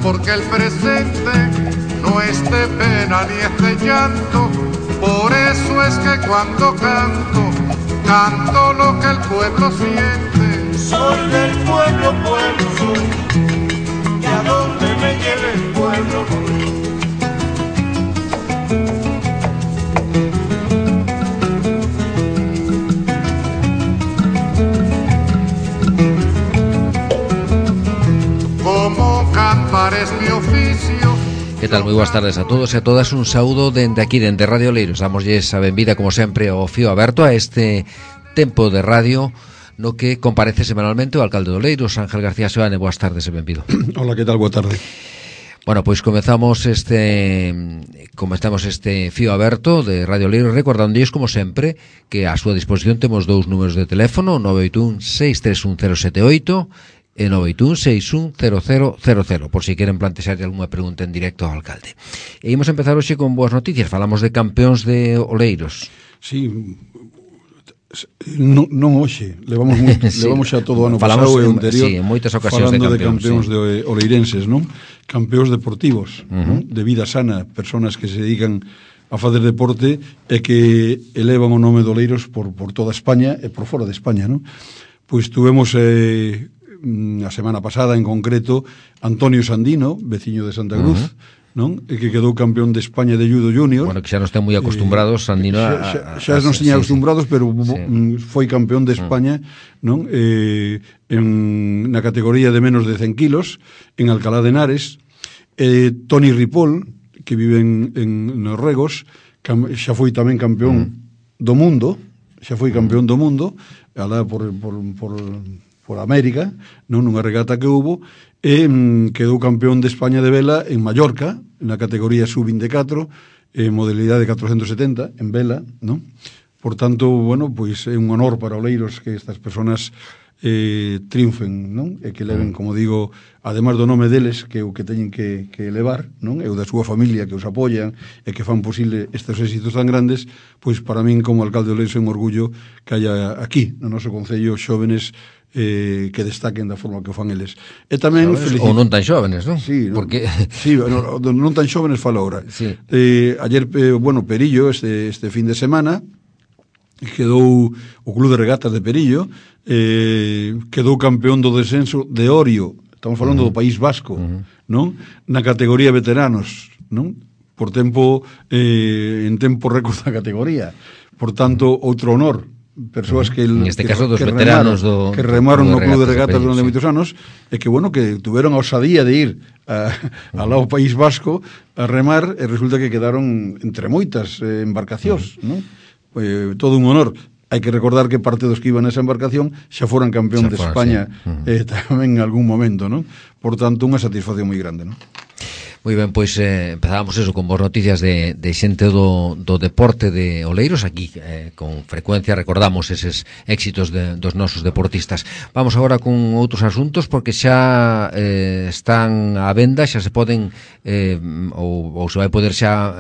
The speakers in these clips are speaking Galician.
porque el presente no es de pena ni es de llanto. Por eso es que cuando canto, canto lo que el pueblo siente. Soy del pueblo, pueblo soy, y a donde me lleve el pueblo voy. Como cantar es mi oficio. Que tal? Moi boas tardes a todos e a todas. Un saúdo dende aquí, dende Radio Oleiros. Damosles a benvida, como sempre, ao fío aberto a este tempo de radio no que comparece semanalmente o alcalde de Oleiros, Ángel García Seoane. Boas tardes e benvido. Hola, que tal? Boa tarde. Bueno, pois comezamos este fío aberto de Radio Oleiros, recordándoles, como sempre, que a súa disposición temos dous números de teléfono, 981-631-078 e 981-610000, por si queren plantexar algunha pregunta en directo ao alcalde. E imos empezar hoxe con boas noticias. Falamos de campeóns de Oleiros. Sí, non hoxe, levamos sí, levamos xa todo o ano pasado e o anterior, sí, en moitas ocasións falando de campeóns, sí, de oleirenses, non? Campeóns deportivos, non? De vida sana, personas que se dedican a facer deporte e que elevan o nome de Oleiros por toda España e por fora de España, non? Pois tuvemos a semana pasada en concreto Antonio Sandino, veciño de Santa Cruz, non? E que quedou campeón de España de judo junior. Bueno, que xa nos ten moi acostumbrados Sandino xa nos tiña acostumbrados, pero foi campeón de España, non? Na categoría de menos de 100 kilos en Alcalá de Henares. Toni Ripoll, que vive en Norregos, xa foi tamén campeón do mundo, alá por América, non, nunha regata que hubo, e quedou campeón de España de vela en Mallorca, na categoría sub-24, modalidade 470, en vela, non? Por tanto, bueno, pois é un honor para Oleiros que estas personas triunfen, non? E que leven, como digo, además do nome deles, que é o que teñen que elevar, non? E o da súa familia que os apoian e que fan posible estes éxitos tan grandes, pois para min como alcalde de Oleiros é un orgullo que haya aquí, no noso concello, xóvenes que destaquen da forma que o fan eles. E tamén ou non tan xóvenes, non? Sí, porque sí, non tan xóvenes fala ahora. Sí. Ayer, bueno, Perillo este fin de semana quedou o Club de Regatas de Perillo, quedou campeón do descenso de Orio, estamos falando do País Vasco, non? Na categoría veteranos, non? Por tempo en tempo récord da categoría. Por tanto, outro honor, persoas que en este caso dos veteranos que remaron no Club de Regatas durante moitos anos e que, bueno, que tuveron a osadía de ir ao lado País Vasco a remar e resulta que quedaron entre moitas embarcacións, non? Todo un honor. Hai que recordar que parte dos que iban nesa embarcación xa foran campeón de España tamén en algún momento, non? Por tanto, unha satisfacción moi grande, non? Moi ben, pois empezábamos eso con boas noticias de xente do deporte de Oleiros. Aquí con frecuencia recordamos eses éxitos dos nosos deportistas. Vamos agora con outros asuntos, porque xa están á venda, xa se poden ou se vai poder xa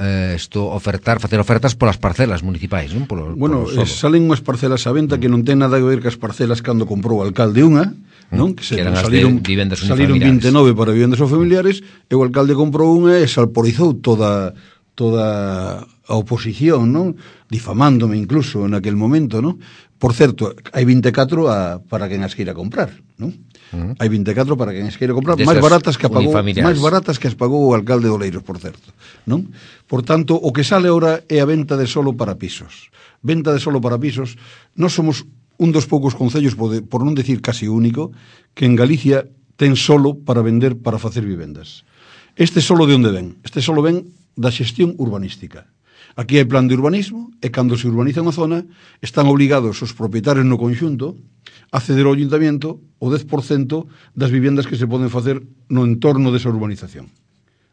facer ofertas polas parcelas municipais, non? Bueno, salen unhas parcelas á venda que non ten nada que ver cas parcelas cando comprou o alcalde unha, non? Que saliron 29 para vivendas ou familiares, e o alcalde comprou unha e salporizou toda a oposición, non? Difamándome incluso en aquel momento, non? Por certo, hai 24 para quen as queira comprar, non? Hai 24 para quen as queira comprar, máis baratas que as pagou o alcalde de Oleiros, por certo, non? Por tanto, o que sale ahora é a venta de solo para pisos. Venta de solo para pisos. Nós somos un dos poucos concellos, por non decir casi único, que en Galicia ten solo para vender, para facer vivendas. Este solo de onde ven? Este solo ven da xestión urbanística. Aquí hai plan de urbanismo e cando se urbaniza unha zona están obligados os propietarios no conxunto a ceder ao ayuntamiento o 10% das vivendas que se poden facer no entorno desa urbanización,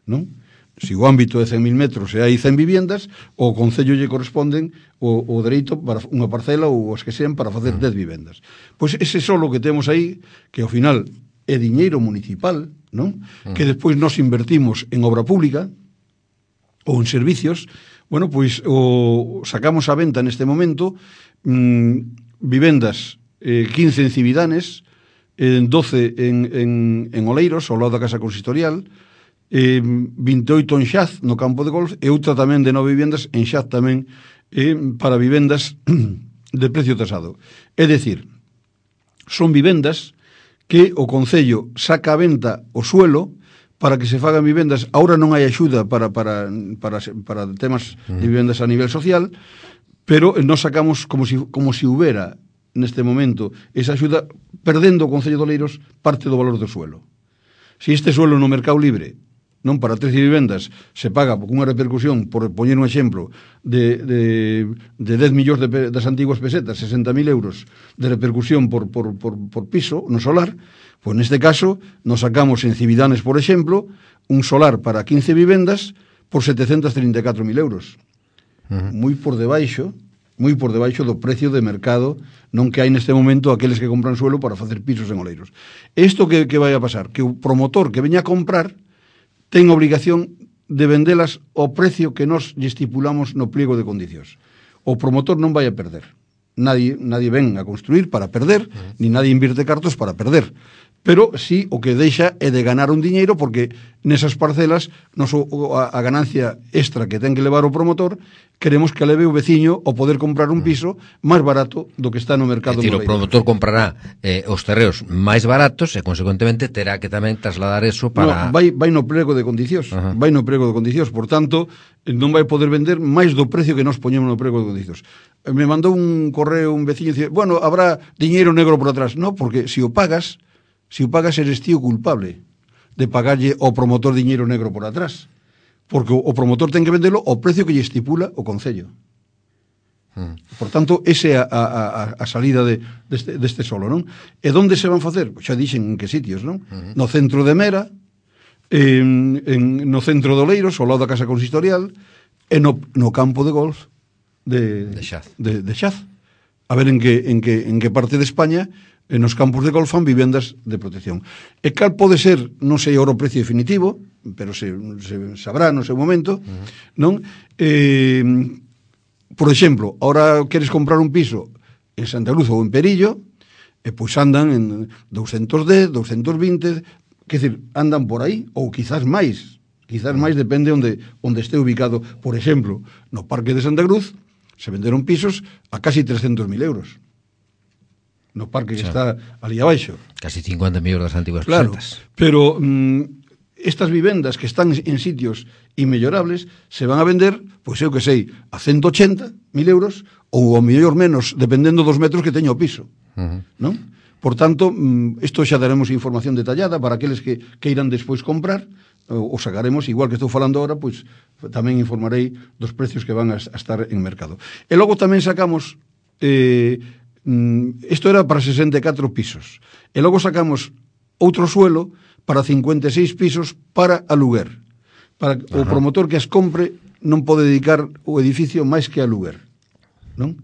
non? Se o ámbito é 100.000 metros e hai 100 vivendas, o concello lle corresponden o dereito para unha parcela ou as que sean para facer 10 vivendas. Pois ese solo que temos aí, que ao final é diñeiro municipal, non? Que despois nos invertimos en obra pública ou en servicios, bueno, pois o sacamos a venta neste momento vivendas 15 en Cividanes, 12 en Oleiros, ao lado da Casa Consistorial, 28 en Xaz, no campo de golf, e outra tamén de 9 vivendas en Xaz tamén, para vivendas de precio tasado. É dicir, son vivendas que o Concello saca a venta o suelo para que se fagan vivendas. Ahora non hai axuda para temas de vivendas a nivel social, pero nos sacamos como si houbera neste momento esa axuda, perdendo o Concello de Oleiros parte do valor do suelo. Se este suelo no mercado libre, non para 13 vivendas, se paga con unha repercusión, por poñer un exemplo, de 10 millóns das antiguas pesetas, 60.000 euros de repercusión por piso no solar, pois neste caso nos sacamos en Cividanes, por exemplo, un solar para 15 vivendas por 734.000 euros. Moi por debaixo do precio de mercado non que hai neste momento aqueles que compran suelo para facer pisos en Oleiros. Isto que vai a pasar? Que o promotor que veña a comprar ten obrigación de vendelas ao precio que nos estipulamos no pliego de condicións. O promotor non vai a perder. Nadie ven a construir para perder, ni nadie invierte cartos para perder. Pero sí o que deixa é de ganar un diñeiro, porque nesas parcelas a ganancia extra que ten que levar o promotor, queremos que leve o veciño o poder comprar un piso máis barato do que está no mercado. É dicir, o promotor comprará os terreos máis baratos e, consecuentemente, terá que tamén trasladar eso para... No, vai no prego de condicións. Vai no prego de condicións. Por tanto, non vai poder vender máis do precio que nos poñemos no prego de condicións. Me mandou un correo un veciño e dice, bueno, habrá diñeiro negro por atrás. No, porque se o pagas eres tío culpable de pagarlle ao promotor diñeiro negro por atrás, porque o promotor ten que vendelo ao precio que lle estipula o Concello. Por tanto, esa é a salida deste solo, non? E onde se van facer? Xa dixen en que sitios, non? No centro de Mera, no centro de Oleiros, ao lado da Casa Consistorial, e no campo de golf de Xaz. A ver en que parte de España nos campos de golf fan vivendas de protección. E cal pode ser, non sei agora o precio definitivo, pero se sabrá no seu momento, non? Por exemplo, ahora queres comprar un piso en Santa Cruz ou en Perillo, e pois andan en 210, 220, quer dizer, andan por aí, ou quizás máis, depende onde este ubicado. Por exemplo, no Parque de Santa Cruz se venderon pisos a casi 300.000 euros. No parque que está ali abaixo. Casi 50 millóns das antiguas pesetas. Pero estas vivendas que están en sitios inmellorables se van a vender, pois eu que sei, a 180.000 euros ou ao mellor menos, dependendo dos metros que teña o piso. Non? Por tanto, isto xa daremos información detallada para aqueles que queiran despois comprar, o sacaremos, igual que estou falando agora, pois tamén informarei dos precios que van a estar en mercado. E logo tamén sacamos... isto era para 64 pisos e logo sacamos outro suelo para 56 pisos para aluguer, para o promotor que as compre non pode dedicar o edificio máis que a aluguer, non?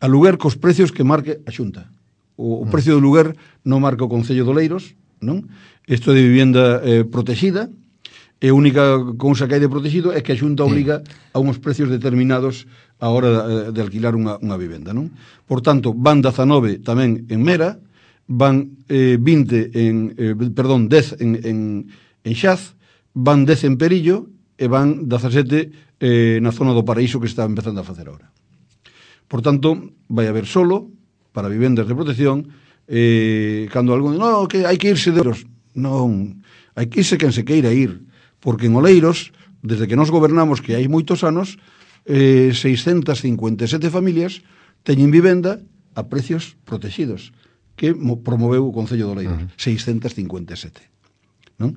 Aluguer cos precios que marque a Xunta. O precio do aluguer non marca o Concello de Oleiros, non? Isto de vivenda protegida, e a única cousa que hai de protegido é que a Xunta obriga a uns precios determinados a hora de alquilar unha vivenda, non? Por tanto, van 19 tamén en Mera, van 10 en Xaz, van 10 en Perillo e van 17 na zona do Paraíso que está empezando a facer agora. Por tanto, vai haber solo para vivendas de protección, cando algún no, que hai que irse de Oleiros. Non, hai que irse quen se queira ir, porque en Oleiros, desde que nos gobernamos, que hai moitos anos, 657 familias teñen vivenda a precios protegidos que promoveu o Concello de Oleiros. 657, non?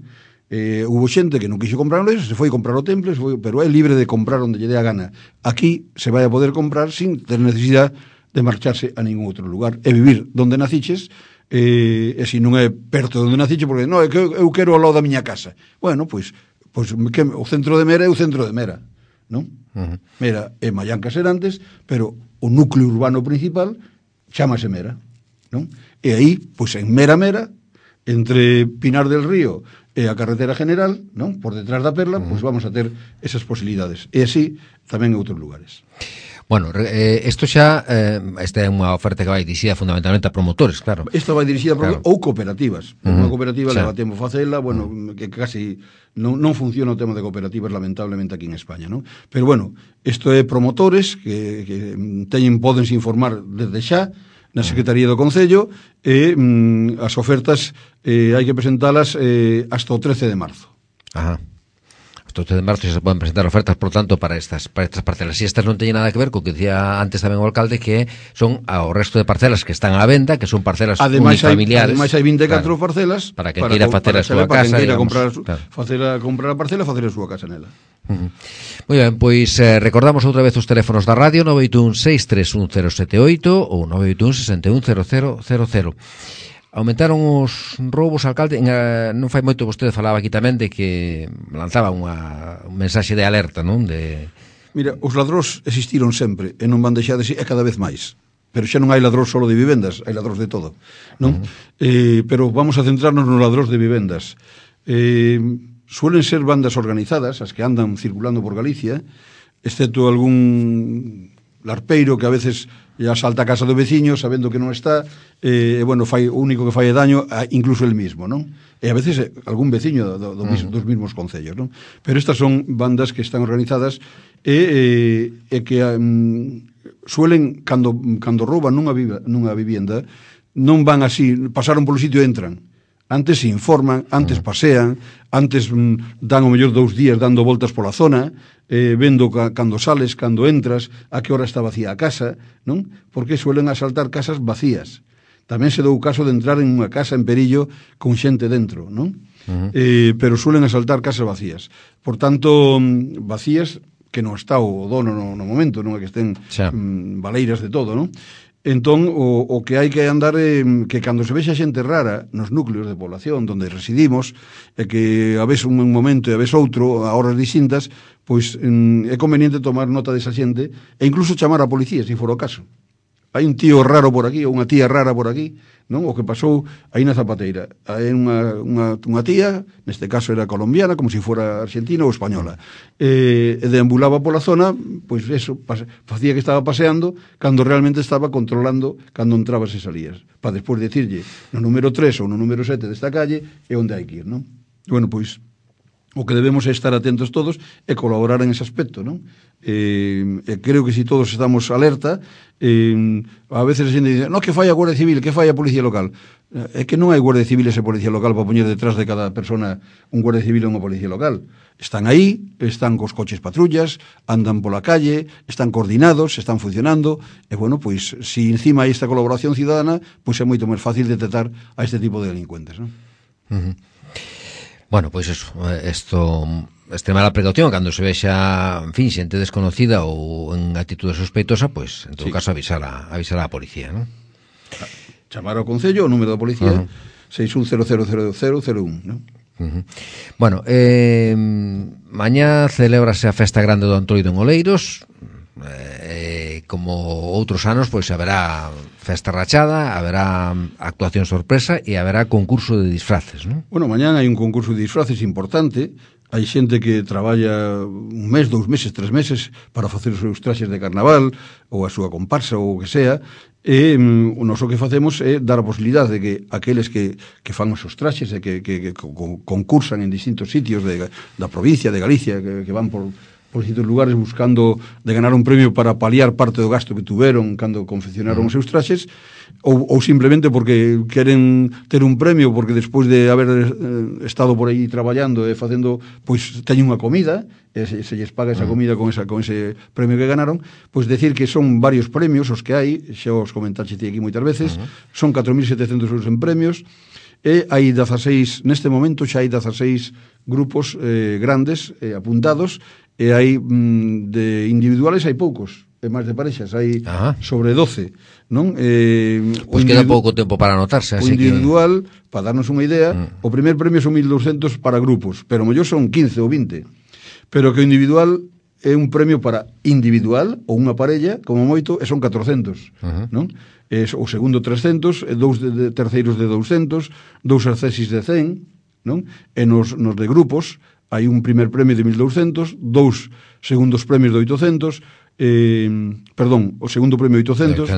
Hubo xente que non quixo comprar Oleiros, se foi comprar o Temple, pero é libre de comprar onde lle dé a gana. Aquí se vai a poder comprar sin ter necesidade de marcharse a ningún outro lugar e vivir donde naciches, e se non é perto de onde naciches, porque non, é que eu quero ao lado da miña casa. Bueno, pois o centro de Mera é o centro de Mera, non? Mera é Mallancas Serantes, pero o núcleo urbano principal chámase Mera, non? E aí, pois en Mera, entre Pinar del Río e a carretera general, non? Por detrás da Perla, pois vamos a ter esas posibilidades. E así tamén en outros lugares. Bueno, isto xa esta é unha oferta que vai dirixida fundamentalmente a promotores, claro. Esta vai dirixida a promotores ou cooperativas. Unha cooperativa leva tempo facela, bueno, que casi non funciona o tema de cooperativas lamentablemente aquí en España, non? Pero bueno, isto é promotores que pódense informar desde xa na Secretaría do Concello e as ofertas hai que presentalas hasta o 13 de marzo. Ajá. Hasta o 13 de marzo se poden presentar ofertas, por tanto, para estas parcelas. E estas non teñen nada que ver co que dicía antes tamén o alcalde, que son ao resto de parcelas que están á venda, que son parcelas unifamiliares. Ademais hai 24 parcelas para quen queira facer a súa casa, para quen queira comprar a parcela, facer a súa casa nela. Moi ben, pois recordamos outra vez os teléfonos da radio: 981-631-078 ou 981-610000. Aumentaron os roubos, alcalde. Non fai moito vostede falaba aquí tamén de que lanzaba un mensaxe de alerta, non? Mira, os ladróns existiron sempre e non van deixar de ser, e cada vez máis. Pero xa non hai ladróns solo de vivendas, hai ladróns de todo, non? Pero vamos a centrarnos nos ladróns de vivendas. Suelen ser bandas organizadas, as que andan circulando por Galicia, excepto algún larpeiro que a veces ya salta a casa do veciño sabendo que non está, bueno, fai o único que fai daño incluso el mismo, non? E a veces algún veciño dos mismos concellos, non? Pero estas son bandas que están organizadas e que suelen, cando rouban nunha vivienda, non van así, pasaron polo sitio e entran. Antes se informan, antes pasean, antes dan o mellor 2 días dando voltas pola zona, vendo cando sales, cando entras, a que hora está vacía a casa, non? Porque suelen asaltar casas vacías. Tamén se dou o caso de entrar en unha casa en Perillo con xente dentro, non? Pero suelen asaltar casas vacías. Por tanto, vacías que non está o dono no momento, non é que estén baleiras de todo, non? Entón, o que hai que andar que cando se vexa xente rara nos núcleos de población onde residimos, e que a vez un momento e a vez outro, a horas distintas, pois é conveniente tomar nota desa xente e incluso chamar a policía, se for o caso. Hai un tío raro por aquí ou unha tía rara por aquí, non? O que pasou aí na Zapateira. Hai unha tía, neste caso era colombiana, como se fora argentina ou española, e deambulaba pola zona, pois eso, facía que estaba paseando, cando realmente estaba controlando cando entrabas e salías, para despois dicirlle no número 3 ou no número 7 desta calle é onde hai que ir, non? Bueno, pois o que debemos é estar atentos todos e colaborar en ese aspecto, non? Creo que si todos estamos alerta, a veces a xente dice, no, que fai a Guardia Civil, que fai a Policía Local. É que non hai Guardia Civil e Policía Local para poñer detrás de cada persona un Guardia Civil e unha Policía Local. Están aí, están cos coches patrullas, andan pola calle, están coordinados, están funcionando, e bueno, pois, si encima hai esta colaboración cidadana, pois é moito máis fácil detectar a este tipo de delincuentes, non? Bueno, pois eso, extremar a precaución cando se vexa, en fin, xente desconocida ou en actitude sospeitosa, pois, en todo caso, avisar a policía, non? Chamar ao Concello, o número da policía, 6100001, non? Bueno, mañá celébrase a Festa Grande do Antroido en Oleiros. Como outros anos, pois haberá festa rachada, haberá actuación sorpresa e haberá concurso de disfraces, non? Bueno, mañán hai un concurso de disfraces importante. Hai xente que traballa 1 mes, 2 meses, 3 meses para facer os seus traxes de carnaval ou a súa comparsa ou o que sea, e o noso que facemos é dar a posibilidade de que aqueles que fan os seus traxes e que concursan en distintos sitios da provincia de Galicia, que van por distintos lugares buscando de ganar un premio para paliar parte do gasto que tuveron cando confeccionaron os seus traxes, ou simplemente porque queren ter un premio porque despois de haber estado por aí traballando e facendo, pois teñen unha comida e se lles paga esa comida con ese premio que ganaron, pois decir que son varios premios os que hai, xa os comentaxe aquí moitas veces, son 4.700 euros en premios, e hai 16, neste momento xa hai 16 grupos grandes apuntados, e hai de individuales hai poucos, e máis de parexas hai sobre 12, non? Pois queda pouco tempo para anotarse, así que o individual, para darnos unha idea, o primer premio son 1.200 para grupos, pero mellor son 15 ou 20, pero que o individual é un premio para individual ou unha parella, como moito, e son 400, non? O segundo 300, 2 terceiros de 200, 2 accesis de 100, non? E nos de grupos hai un primer premio de 1.200, 2 segundos premios de 800, o segundo premio 800,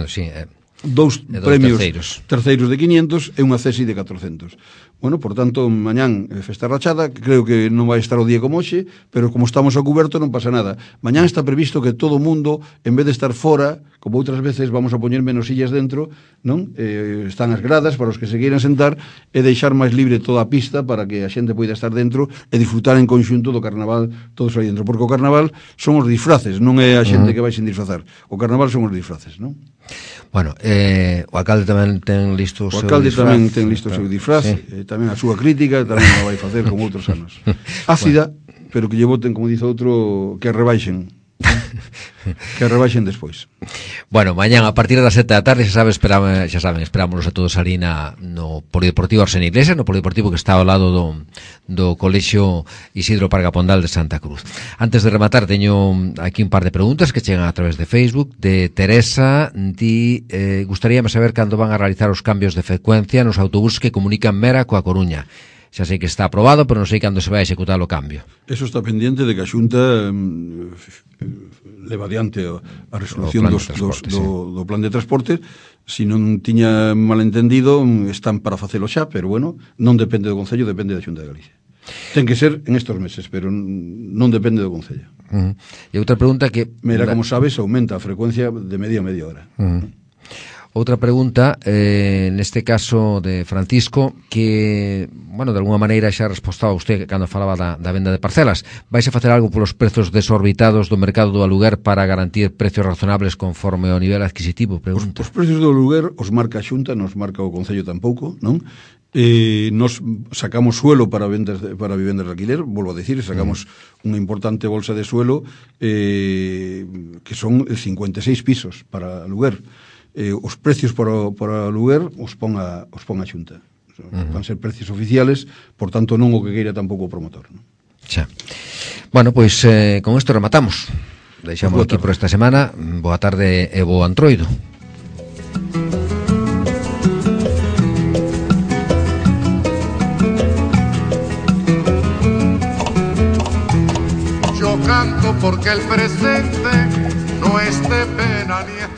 dous premios terceiros de 500 e unha cesi de 400. Bueno, por tanto, mañán festa rachada, creo que non vai estar o día como hoxe, pero como estamos a cuberto non pasa nada. Mañán está previsto que todo o mundo, en vez de estar fora, como outras veces, vamos a poñer menos sillas dentro, non? Están as gradas para os que se queiran sentar e deixar máis libre toda a pista para que a xente poida estar dentro e disfrutar en conxunto do carnaval todos aí dentro, porque o carnaval son os disfraces, non é a xente que vai sin disfrazar. O carnaval son os disfraces, non? Bueno, o alcalde tamén ten listo o seu disfraz. O alcalde tamén ten listo o seu disfraz, tamén a súa crítica, tamén o vai facer como outros anos. Ácida, pero que lle voten, como dice outro, que rebaixen. Que rebaixen despois. Bueno, mañán a partir das 7 da tarde, xa saben, esperámonos a todos ali no Polideportivo Arsena Iglesia, no Polideportivo que está ao lado do Colexio Isidro Parga Pondal de Santa Cruz. Antes de rematar, teño aquí un par de preguntas que chegan a través de Facebook. De Teresa, gustaríame saber cando van a realizar os cambios de frecuencia nos autobuses que comunican Mera coa Coruña. Xa sei que está aprobado, pero non sei cando se vai a executar o cambio. Eso está pendiente de que a Xunta leva adiante a resolución do plan de transporte. Si non tiña malentendido, están para facelo xa, pero bueno, non depende do Concello, depende da Xunta de Galicia. Ten que ser en estos meses, pero non depende do Concello. E outra pregunta que... Mira, como sabes, aumenta a frecuencia de media hora. Outra pregunta, neste caso de Francisco, que, bueno, de alguna maneira xa respostaba usted cando falaba da venda de parcelas. Vais a facer algo polos prezos desorbitados do mercado do aluguer para garantir precios razonables conforme ao nivel adquisitivo? Pregunta. Os precios do aluguer os marca a Xunta, nos marca o Concello tampouco, non? Nos sacamos suelo para vivendas de alquiler, volvo a decir, sacamos unha importante bolsa de suelo que son 56 pisos para aluguer. Os precios para aluguer os pon a Xunta. Van ser precios oficiales, por tanto non o que queira tampouco o promotor, non? Xa. Bueno, pois con isto rematamos. Deixamos aquí por esta semana. Boa tarde e bo Antroido. Yo canto porque el presente no es de pena ni es